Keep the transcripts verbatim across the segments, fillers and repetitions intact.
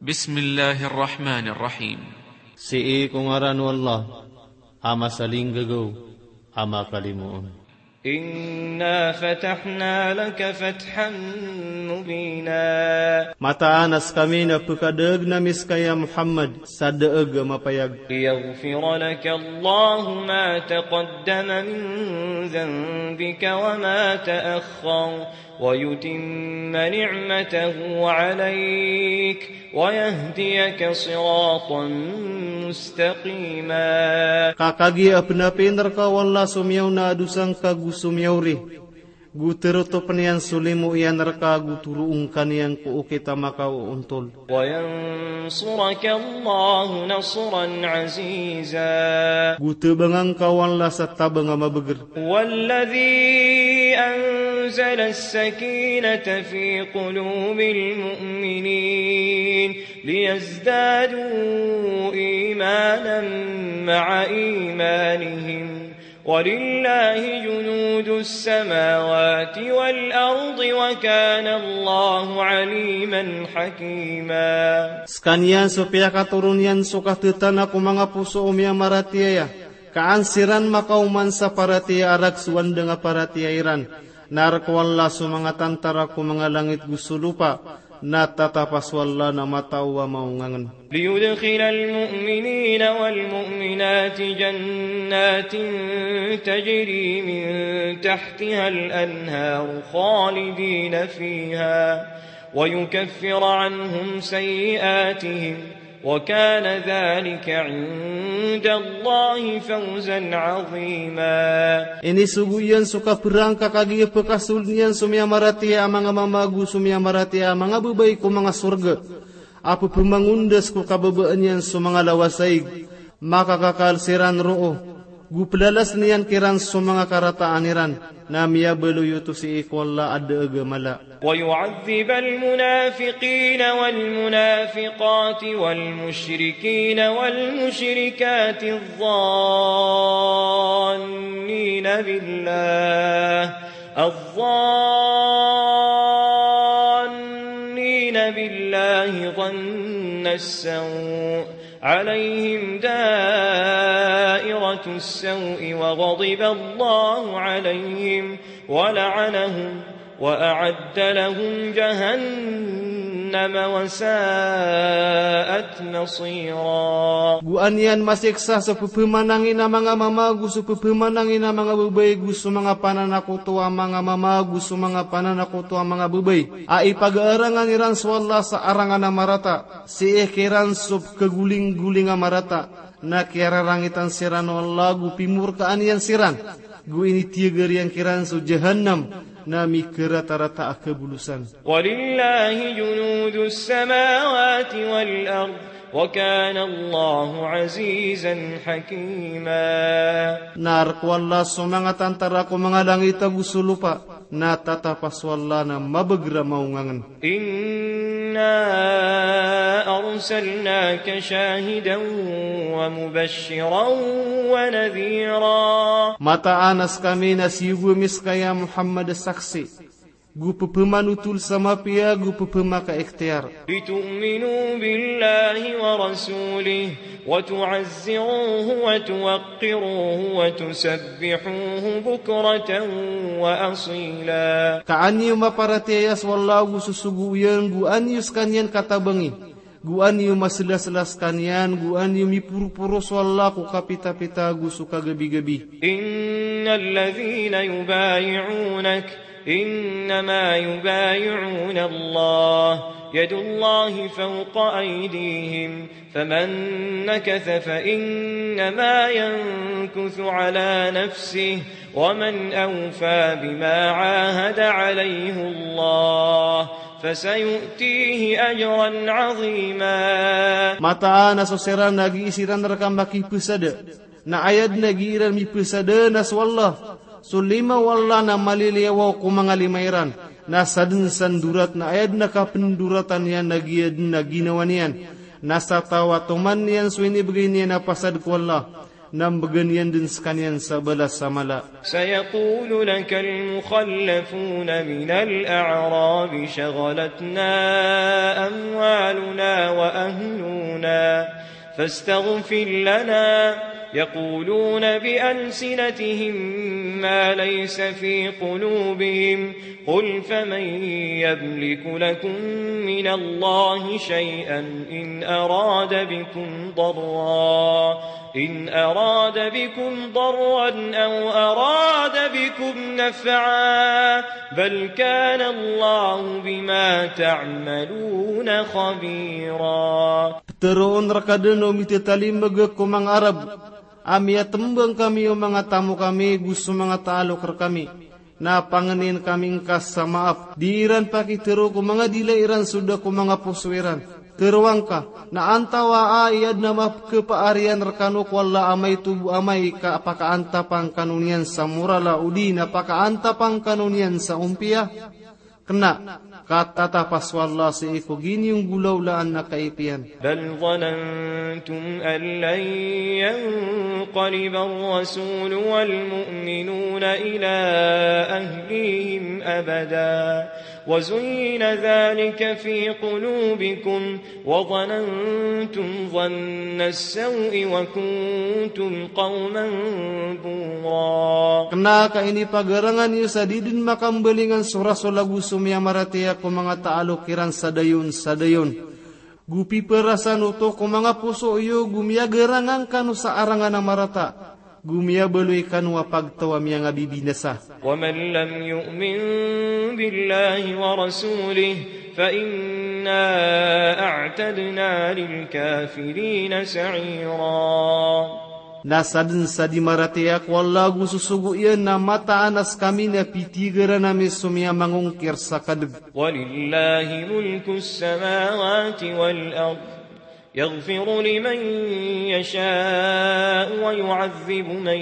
Bismillahir Rahmanir Rahim. Sii ko ngaran o Allah a masalinggagaw a makalimoon. إنا فتحنا لك فتحا مبينا. Mataan a skami na pkadaagn ami ska ya Muhammad sa daag a mapayag. ليغفر لك الله ما تقدم من ذنبك وما تأخر ويتم نعمته عليك ويهديك صراطا مستقيما. Ka kagiya pnapiin rka o Allah so miyaona a dosa ngka go so miyaori, go tarotopn iyan so limo iyan rka go toroon ka niyan ko okit a makaoontol. وينصرك الله نصرا عزيزا. Go tabangan ka o Allah sa tabang a mabagr. هو الذي أنزل السكينة في قلوب المؤمنين ليزدادوا إيمانا مع إيمانهم ولله جنود السماوات والأرض وكان الله عليما حكيما. Skaniyan so piyakatoron iyan so kathatana ko manga poso o miyamaratiyaya, ka an siran makaoman sa paratiyaya a rakhs o andang a paratiyaya iran. Na rk o Allah so manga tantara ko manga langit go so lopa, na tatapa so Allah na matao a maongangn. ليدخل المؤمنين والمؤمنات جنات تجري من تحتها الأنهار خالدين فيها ويكفر عنهم سيئاتهم وكان ذلك عند الله فوزا عظيما. Inisogo iyan so kaprang ka kagiya pkasold iyan so miyamaratiyaya a manga mama go so miyamaratiyaya a manga babay ko manga sorga a pphamangondas ko kababaan iyan so manga lawasaig, makakakal siran roo, go plalasn iyan kiran so manga karataan iran, na miyabaloy oto sii ko Allah a daag a mala. ويعذب المنافقين والمنافقات والمشركين والمشركات الظانين بالله، الظانين بالله ظن السوء عليهم دائرة السوء وغضب الله عليهم ولعنهم وأعد لهم جهنم وساءت مصيرا. Go an iyan masiksa so pphamanangin a manga mama go so pphamanangin a manga babay go so manga pananakoto a manga mama go so manga pananakoto a manga babay a ipagaarangan iran so Allah sa arangan a marata, sii kiran so pkhagoling-goling a marata, na kiyararangitan siran o Allah go pimorkaan iyan siran, go initiyagar iyan kiran so jahannam, na mikaratarata a kabolosan. ولله جنود السماوات والأرض وكان الله عزيزا حكيما. Na rk o Allah so manga tantara ko manga langit ago so lopa, na tatapa so Allah na mabagr a maongangn. إنا أرسلناك شاهدا ومبشرا ونذيرا. Mataan a skami na siyogo ami ska ya Muhammad a saksi, go pphamanotol sa mapiya, go pphamakaikhtiyar. لتؤمنوا بالله ورسوله وتعزروه وتوقروه وتسبحوه بكرة وأصيلا. Ka an iyo maparatiyaya so Allah ago so sogo iyan, go an iyo skaniyan katabangi, go an iyo maslasla skaniyan, go an iyo miporoporo so Allah ko kapitapita ago so kagabigabi. إن الذين يبايعونك إنما يبايعون الله يد الله فوق أيديهم فمن نكث فإنما ينكث على نفسه ومن أوفى بما عاهد عليه الله فسيؤتيه أجرا عظيما. Mataan a so siran a gii siran rka makipesada, na aya dn a gii ran mipesada na so Allah. So lima o Allah na maliliyawaw ko manga lima iran. Na sadn sa ndorat na aya dn a kapndoratan iyan na giya dn a ginawa niyan. Na sa taw a toman iyan so inibgay niyan a pasad ko Allah. Na mbgan iyan dn skaniyan sa balas a mala. سيقول لك المخلفون من الأعراب شغلتنا أموالنا وأهلنا فاستغفر لنا، يقولون بألسنتهم ما ليس في قلوبهم، قل فمن يملك لكم من الله شيئا إن أراد بكم ضرا، إن أراد بكم ضرا أو أراد بكم نفعا، بل كان الله بما تعملون خبيرا. Ptharoon rka dn o mithatalimbg ko manga Arab a miyatmbang kami o manga tamok ami go so manga taalok rkami. Na pangnin kami ngka sa maap. Di iran pakitharo ko manga dila iran so da ko manga poso iran. Tharoa ngka, na antawaa i adn a mapkhapaariyan rkano ko Allah a maito bo amay ka pakaantapa ngkano niyan sa moral a odi na pakaantapa ngkano niyan sa ompiya? Kna, ka tatapas o Allah sii ko giniyonggolawlaan a kaipiyan. بل ظننتم أن لن ينقلب الرسول والمؤمنون إلى أهليهم أبدا وزين ذلك في قلوبكم وظننتم ظن السوء وكنتم قوما بورا. Kna ka inipagarangan iyo sa di dn makambalingan so Rasul ago so miyamaratiyaya ko manga taalok iran sa dayon sa dayon. Go pipharasan oto ko manga poso iyo go miyagarangan kano sa arangan a marata. Go miyabaloy kano a pagtaw a miyangabibinasa. ومن لم يؤمن بالله ورسوله فإنا أعتدنا للكافرين سعيرا. Na sadn sa di maratiyaya ko Allah ago so sogo iyan na mataan a skami na pitigaran ami so miyamangongkir sa kadg. ولله ملك السماوات والأرض يغفر لمن يشاء ويعذب من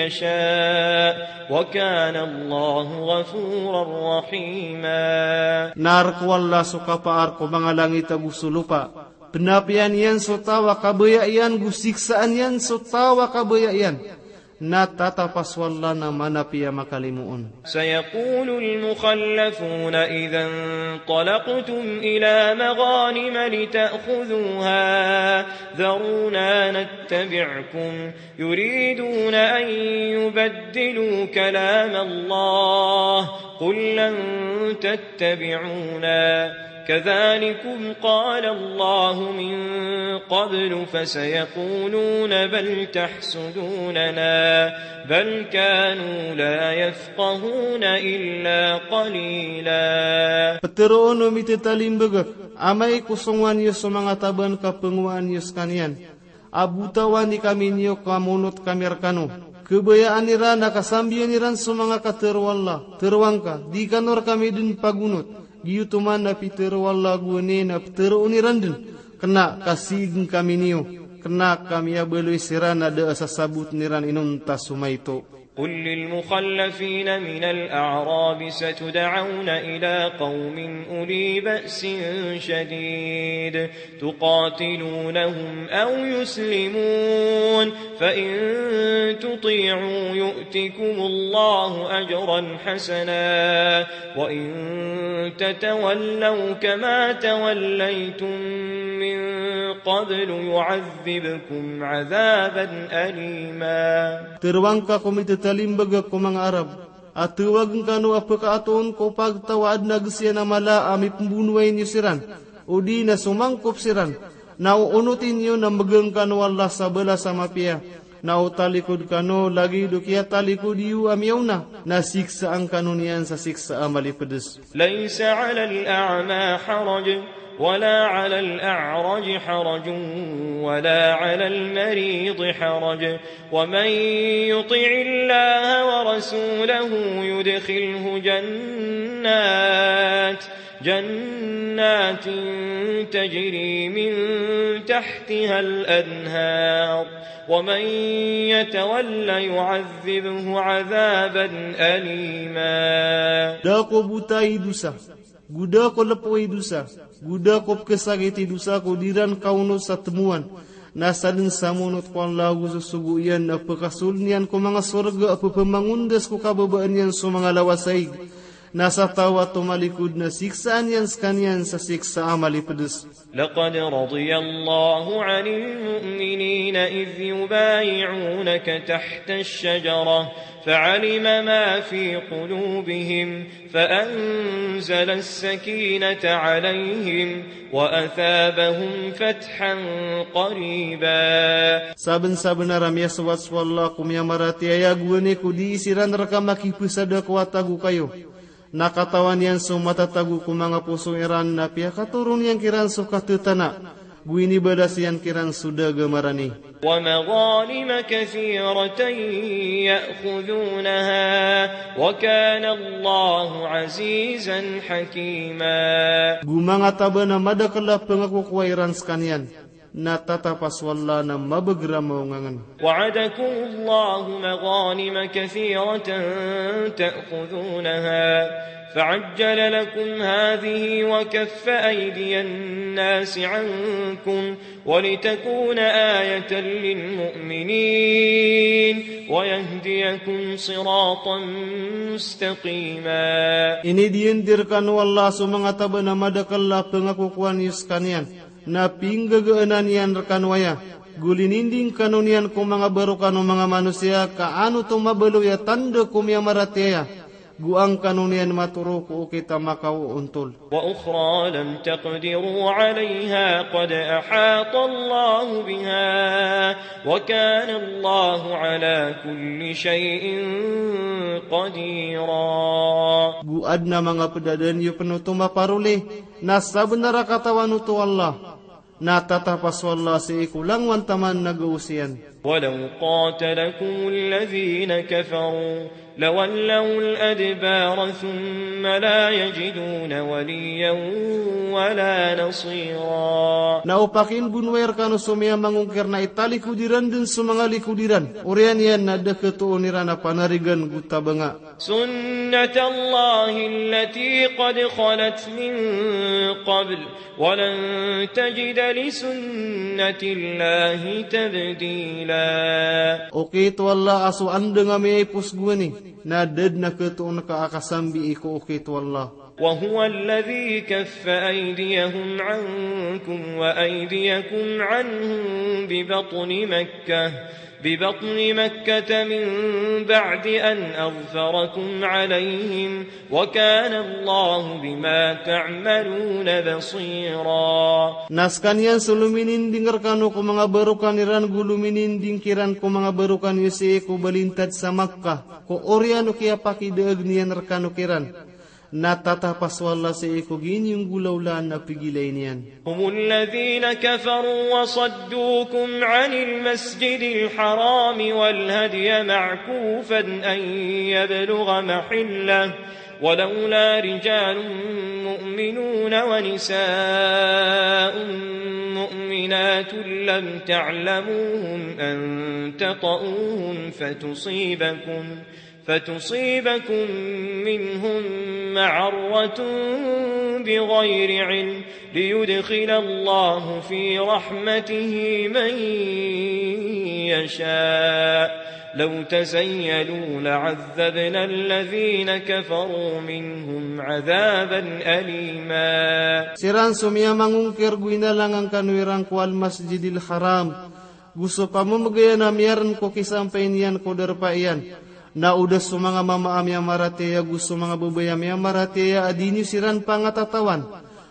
يشاء وكان الله غفورا رحيما. Na rk o Allah so kapaar ko manga langit ago so lopa. Pnapiyan iyan so taw a kabaya iyan go siksaan iyan so taw a kabaya iyan. Na tatapas o Allah na manapiya makalimoon. سيقول المخلفون إذا انطلقتم إلى مغانم لتأخذوها ذرونا نتبعكم يريدون أن يبدلوا كلام الله قل لن تتبعونا كذلكم قال الله من قبل فسيقولون بل تحسدوننا بل كانوا لا يفقهون إلا قليلا. Ptharoon o mithatalimbg, amay ko songowan iyo so manga taban ka pngowaan iyo skaniyan a botawan i kami niyo ka monot kami rkano. Khabayaan iran a kasambiyan iran so manga katharo o Allah. Tharoa ngka, di kano rkami dn pagonot. Giyoto man a pitharo o Allah gowani na ptharoon iran dn. Kna ka sii ngkami niyo. Kna ka miyabaloy siran a da a sasabotn iran inonta so maito. قل للمخلفين من الأعراب ستدعون إلى قوم أولي بأس شديد تقاتلونهم أو يسلمون فإن تطيعوا يؤتكم الله أجرا حسنا وإن تتولوا كما توليتم من قبل يعذبكم عذابا أليما. Tharoa ngka ko mithatalimbg ko manga Arab a tawagn kano a pkaatoon ko pagtaw a adn a gsiyan a mala a mipmbonowai niyo siran, odi na somangkop siran, na oonoti niyo na mbgan kano o Allah sa balas a mapiya, na o talikod kano lagid o kiyatalikod iyo a miyaona, na siksaan kano niyan sa siksa a malipds. ليس على الأعمى حرج ولا على الأعرج حرج ولا على المريض حرج ومن يطع الله ورسوله يدخله جنات جنات تجري من تحتها الأنهار ومن يتول يعذبه عذابا أليما. Da ko bota i dosa, go da ko lpo i dosa, go da ko pkhasakit i dosa ko di ran kaonot sa tmowan, Na sadn sa monot ko Allah ago so sogo iyan na pkasold iyan ko manga sorga a pphamangondas ko kababaan iyan so manga lawasaig. Na sa taw a tomalikod na siksaan iyan skaniyan sa siksa a malipds. لقد رضي الله عن المؤمنين إذ يبايعونك تحت الشجرة فعلم ما في قلوبهم فأنزل السكينة عليهم وأثابهم فتحا قريبا. Sabnsabnar a miyasoat so Allah ko miyamaratiyaya a gowani ko dii siran rka makipsada ko wata ago kayo. Na katawan iyan so matatago ko manga poso iran na piyakatoron iyan kiran so katatana. Go inibalas iyan kiran so da a gamarani. ومغانم كثيرة يأخذونها وكان الله عزيزا حكيما. Go manga taban a madakl a pngakokowa iran skaniyan. Na tatap a so Allah na mabagr a maongangan. وعدكم الله مغانم كثيرة تأخذونها فعجل لكم هذه وكف أيدي الناس عنكم ولتكون آية للمؤمنين ويهديكم صراطا مستقيما. Inidiyandi rkano o Allah so manga taban a madakl a pngakokowa niyo skaniyan. Na pinggagaan iyan rkano aya, go lininding kano niyan ko manga barokan o manga manosiya ka an oto mabaloy a tanda ko miyamaratiyaya, go an kano niyan matoro ko okit a makaoontol. وأخرى لم تقدروا عليها قد أحاط الله بها وكان الله على كل شيء قديرا. Go adn a manga pd a da niyo pn oto maparoli, na sabnar a katawan oto o Allah. Na tatap a so Allah sii ko langowan taman na gaos iyan. ولو قاتلكم الذين كفروا لولوا الأدبار ثم لا يجدون وليا ولا نصيرا. Na o pakinbonowai rkano so miyamangongkir na italikod iran dn so manga likod iran. Oriyan iyan na da khatoon iran a panarigan go tabanga. سنة الله التي قد خلت من قبل ولن تجد لسنة الله تبديلا. Okit o Allah a so andang a miyaipos gowani, na da dn a khatoon ka a kasambii ko okit o Allah. وهو الذي كف أيديهم عنكم وأيديكم عنهم ببطن مكة ببطن مكة من بعد أن أظفركم عليهم وكان الله بما تعملون بصيرا. Na skaniyan so lomininding rkano ko manga barokan iran go lomininding kiran ko manga barokan iyo sii ko balintad sa Makkah, ko oriyan o kiyapakidaag niyan rkano kiran. Na tatap a so Allah sii ko gii niyo nggolawlaan a pigilay niyan. هم الذين كفروا وصدوكم عن المسجد الحرام والهدي معكوفا أن يبلغ محله ولولا رجال مؤمنون ونساء مؤمنات لم تعلموهم أن تطئوهم فتصيبكم فتصيبكم منهم معرة بغير علم ليدخل الله في رحمته من يشاء لو تزيلوا لعذبنا الذين كفروا منهم عذابا أليما. Siran so miyamangongkir go inalangan kano iran ko Al-Masjidil Haram, go so pamamagayan a miyarn ko kisampay niyan ko darpa iyan. Na o da so manga mama a miyamaratiyaya go so manga babay a miyamaratiyaya a di niyo siran pangatatawan,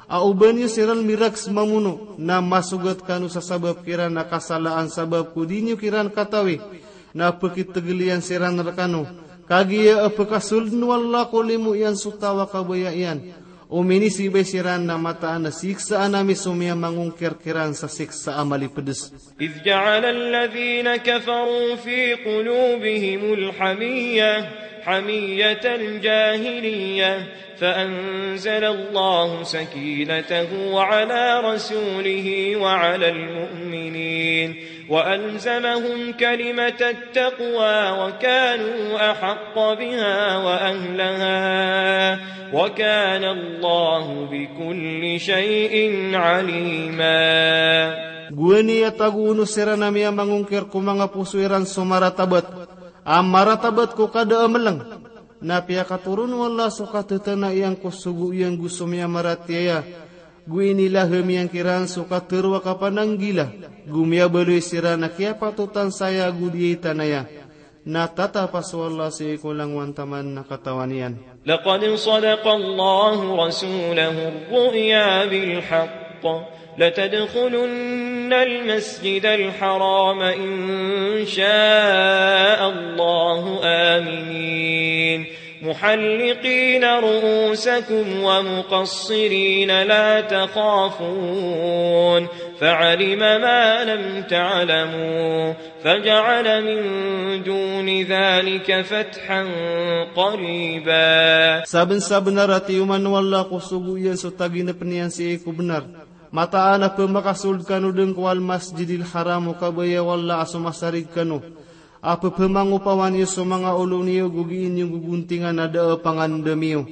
a o ba niyo siran mirags mamono, na masogat kano sa sabap kiran a kasalaan sabap ko di niyo kiran katawi, na pkitgl iyan siran rkano. Kagiya a pkasold o Allah ko limo iyan so taw a kabaya iyan. O minisibay siran na mataan a siksaan ami so miyamangongkir kiran sa siksa a malipds. إذ جعل الذين كفروا في قلوبهم الحمية حمية الجاهلية فأنزل الله سكينته على رسوله وعلى المؤمنين وألزمهم كلمة التقوى وكانوا أحق بها وأهلها وكان الله بكل شيء عليما. Gowani a tagoon o siran a miyamangongkir ko manga poso iran so maratabat a maratabat ko kada a meleng. Na piyakatoron o Allah so katatana iyan ko sogo iyan go so miyamaratiyaya. Go inilahem iyan kiran so katero a kapananggila, go miyabaloy siran a kiyapatotan saya go di aya tanaya. Na tatapas o Allah sii ko langowan taman na katawan iyan. لقد صدق الله رسوله الرؤيا بالحق لتدخلن المسجد الحرام إن شاء الله آمنين محلقين رؤوسكم ومقصرين لا تخافون فعلم ما لم تعلموا فجعل من دون ذلك فتحا قريبا. Sabensabenar a tiyoman o Allah ko sogo iyan so taginepen iyan sii ko benar. Mataan a pemakasold kano den ko Al-Masjidil Haram o kabaya o Allah a somasarig kano. A pepemangopawan iyo so manga olo niyo go gii niyo gogontingan a da a pangandam iyo.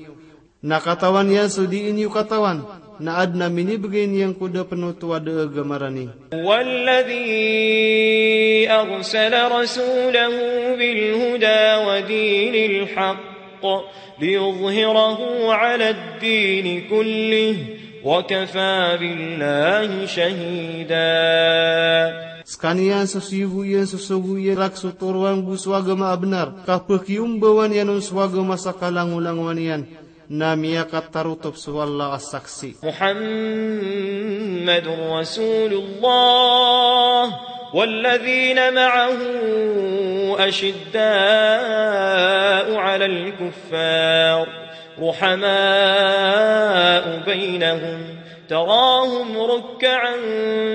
Na katawan iyan so dii niyo katawan, na aden a minibegay niyan ko da pen oto a da a gamarani. هو الذي أرسل رسوله بالهدى ودين الحق ليظهره على الدين كله وكفى بالله شهيدا. Sekaniyan so siyogo iyan so sogo iyan rak so toroan go so agama a benar, ka pekiyombawan iyan on so agama sa kalangolangowan iyan, na miyakatarotop so Allah a saksi. محمد رسول الله والذين معه أشداء على الكفار رحماء بينهم تراهم ركعا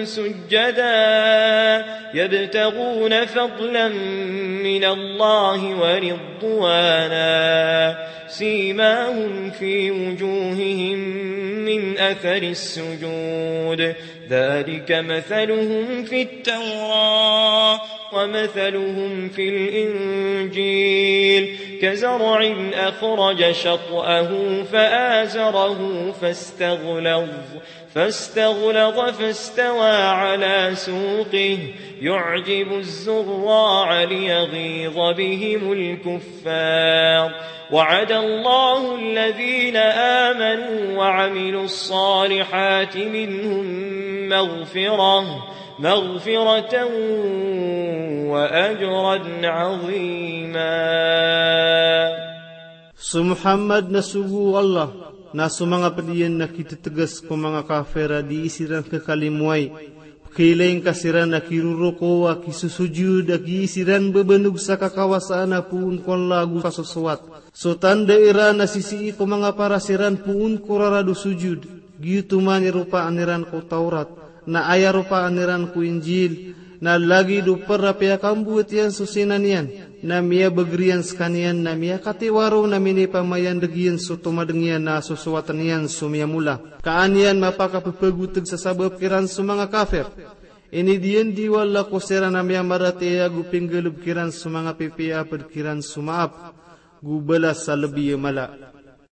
سجدا يبتغون فضلا من الله ورضوانا سيماهم في وجوههم من أثر السجود ذلك مثلهم في التوراة ومثلهم في الإنجيل كزرع أخرج شطأه فآزره فاستغلظ فاستغلظ فاستوى على سوقه يعجب الزراع ليغيظ بهم الكفار وعد الله الذين آمنوا وعملوا الصالحات منهم مغفرة مغفرة وأجرا عظيما. So Muhammad na sogo o Allah, na so manga ped iyan na kitetegas ko manga kafir a dii siran kekalimowai. Pekailaing ka siran a kiroroko a kisosojod a kii siran bebenog sa kakawasaan a poon ko Allah ago kasosowat. So tanda iran a sisii ko manga paras iran poon ko rarad o sojod. Giyoto man i ropaan iran ko Tawrat, na aya ropaan iran ko Injil, na lagid o per a piyakambowat iyan so sinan iyan, na miyabeger iyan sekaniyan, na miyakatiwaro, na minipamayandeg iyan so tomadeng iyan, na sosowaten iyan so miyamola. Ka an iyan mapakapepegoteg sa sabap kiran so manga kafir. Inidiyandi o Allah ko siran a miyamaratiyaya ago pinggaleb kiran so manga pipiya a ped kiran so maap, go balas a lebi a mala.